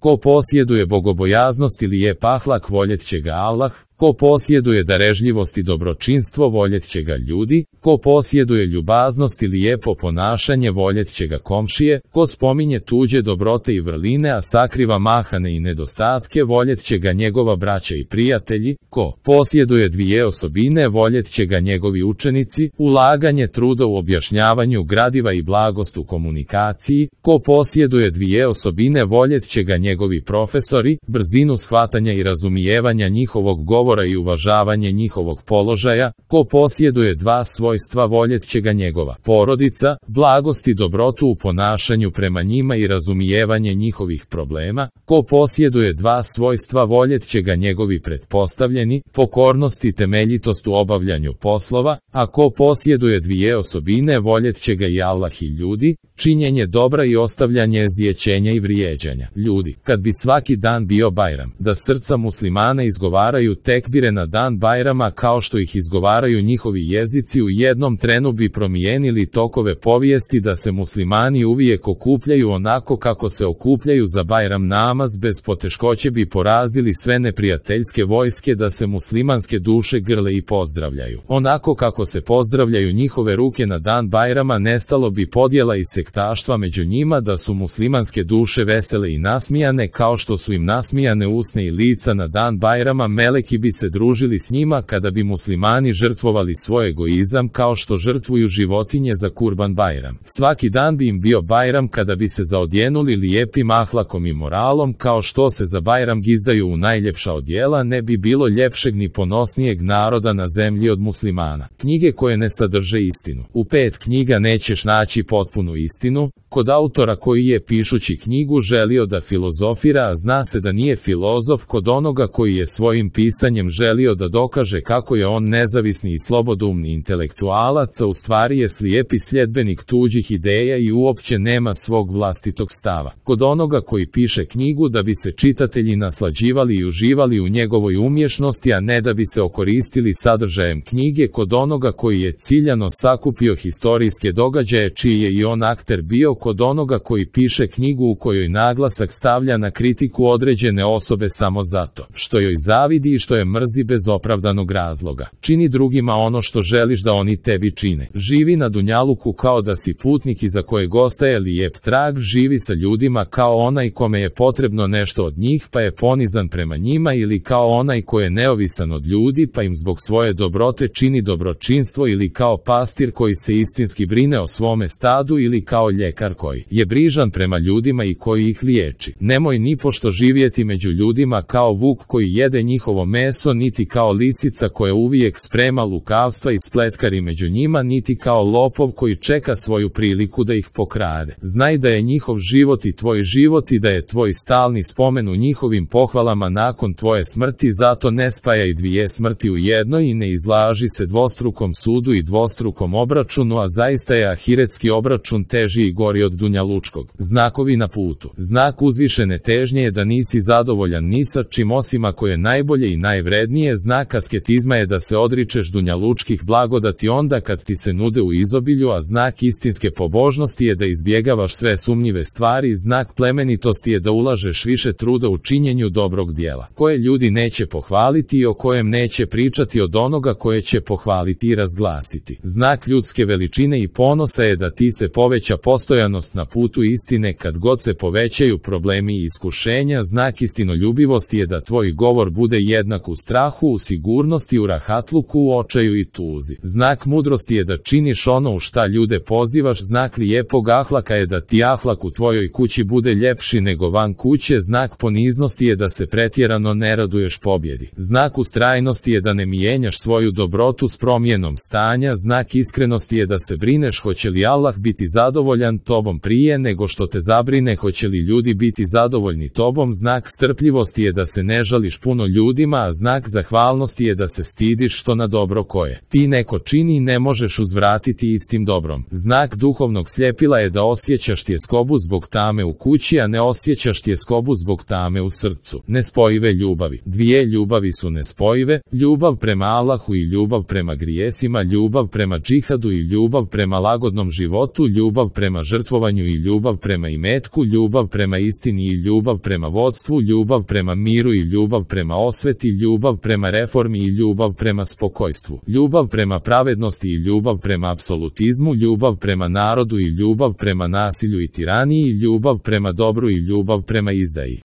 Ko posjeduje bogobojaznost ili je pahlak, voljet će ga Allah. Ko posjeduje darežljivost i dobročinstvo, voljet će ga ljudi. Ko posjeduje ljubaznost ili lijepo ponašanje, voljet će ga komšije. Ko spominje tuđe dobrote i vrline, a sakriva mahane i nedostatke, voljet će ga njegova braća i prijatelji. Ko posjeduje dvije osobine, voljet će ga njegovi učenici. Ulaganje truda u objašnjavanju gradiva i blagost u komunikaciji. Ko posjeduje dvije osobine, voljet će ga njegovi profesori. Brzinu shvatanja i razumijevanja njihovog govora i uvažavanje njihovog položaja. Ko posjeduje dva svojstva, voljet će ga njegova porodica. Blagost i dobrotu u ponašanju prema njima i razumijevanje njihovih problema. Ko posjeduje dva svojstva, voljet će ga njegovi pretpostavljeni. Pokornost i temeljitost u obavljanju poslova. A ko posjeduje dvije osobine, voljet će ga i Allah i ljudi. Činjenje dobra i ostavljanje zjećenja i vrijeđanja ljudi. Kad bi svaki dan bio Bajram, da srca muslimana izgovaraju tekbire na dan Bajrama kao što ih izgovaraju njihovi jezici, u jednom trenu bi promijenili tokove povijesti, da se muslimani uvijek okupljaju onako kako se okupljaju za Bajram namaz, bez poteškoće bi porazili sve neprijateljske vojske, da se muslimanske duše grle i pozdravljaju onako kako se pozdravljaju njihove ruke na dan Bajrama, nestalo bi podjela i sektaštva među njima, da su muslimanske duše vesele i nasmijane kao što su im nasmijane usne i lica na dan Bajrama. Meleki bi se družili s njima kada bi muslimani žrtvovali svoj egoizam kao što žrtvuju životinje za Kurban Bajram. Svaki dan bi im bio Bajram kada bi se zaodjenuli lijepim ahlakom i moralom kao što se za Bajram gizdaju u najljepša odjela. Ne bi bilo ljepšeg ni ponosnijeg naroda na zemlji od muslimana. Knjige koje ne sadrže istinu. U 5 knjiga nećeš naći potpunu istinu. Kod autora koji je pišući knjigu želio da filozofira, a zna se da nije filozof. Kod onoga koji je svojim pisanjem želio da dokaže kako je on nezavisni i slobodoumni intelektualac, a u stvari je slijepi sljedbenik tuđih ideja i uopće nema svog vlastitog stava. Kod onoga koji piše knjigu da bi se čitatelji naslađivali i uživali u njegovoj umješnosti, a ne da bi se okoristili sadržajem knjige. Kod onoga koji je ciljano sakupio historijske događaje čiji je i on akter bio. Kod onoga koji piše knjigu u kojoj naglasak stavlja na kritiku određene osobe samo zato što joj zavidi i što je mrzi bez opravdanog razloga. Čini drugima ono što želiš da oni tebi čine. Živi na dunjaluku kao da si putnik iza kojeg ostaje lijep trag. Živi sa ljudima kao onaj kome je potrebno nešto od njih pa je ponizan prema njima, ili kao onaj ko je neovisan od ljudi pa im zbog svoje dobrote čini dobročinstvo, ili kao pastir koji se istinski brine o svome stadu, ili kao ljekar koji je brižan prema ljudima i koji ih liječi. Nemoj nipošto živjeti među ljudima kao vuk koji jede njihovo meso, niti kao lisica koja uvijek sprema lukavstva i spletkari među njima, niti kao lopov koji čeka svoju priliku da ih pokrade. Znaj da je njihov život i tvoj život i da je tvoj stalni spomen u njihovim pohvalama nakon tvoje smrti, zato ne spajaj dvije smrti u jednoj i ne izlaži se dvostrukom sudu i dvostrukom obračunu, a zaista je ahiretski obračun teži i gori od dunjalučkog. Znakovi na putu. Znak uzvišene težnje je da nisi zadovoljan ni sa čim osim ako je najbolje i najvrednije. Znak asketizma je da se odričeš dunjalučkih blagodati onda kad ti se nude u izobilju, a znak istinske pobožnosti je da izbjegavaš sve sumnjive stvari. Znak plemenitosti je da ulažeš više truda u činjenju dobrog dijela, koje ljudi neće pohvaliti i o kojem neće pričati od onoga koje će pohvaliti i razglasiti. Znak ljudske veličine i ponosa je da ti se poveća postojanost na putu istine kad god se povećaju problemi i iskušenja. Znak istinoljubivosti je da tvoj govor bude jednak u strahu, u sigurnosti, u rahatluku, u očaju i tuzi. Znak mudrosti je da činiš ono u šta ljude pozivaš. Znak lijepog ahlaka je da ti ahlak u tvojoj kući bude ljepši nego van kuće. Znak poniznosti je da se pretjerano ne raduješ pobjedi. Znak ustrajnosti je da ne mijenjaš svoju dobrotu s promjenom stanja. Znak iskrenosti je da se brineš hoće li Allah biti zadovoljan tobom prije nego što te zabrine hoće li ljudi biti zadovoljni tobom. Znak strpljivosti je da se ne žališ puno ljudima, a znak zahvalnosti je da se stidiš što na dobro koje ti neko čini ne možeš uzvratiti istim dobrom. Znak duhovnog sljepila je da osjećaš tjeskobu zbog tame u kući, a ne osjećaš tjeskobu zbog tame u srcu. Nespojive ljubavi. Dvije ljubavi su nespojive, ljubav prema Allahu i ljubav prema grijesima, ljubav prema džihadu i ljubav prema lagodnom životu, ljubav prema žrtvi samožrtvovanju i ljubav prema imetku, ljubav prema istini i ljubav prema vodstvu, ljubav prema miru i ljubav prema osveti, ljubav prema reformi i ljubav prema spokojstvu, ljubav prema pravednosti i ljubav prema apsolutizmu, ljubav prema narodu i ljubav prema nasilju i tiraniji, ljubav prema dobru i ljubav prema izdaji.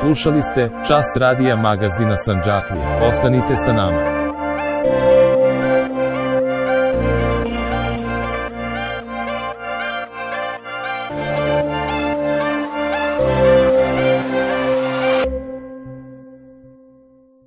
Slušali ste Čas radija magazina Sandžaklije. Ostanite sa nama.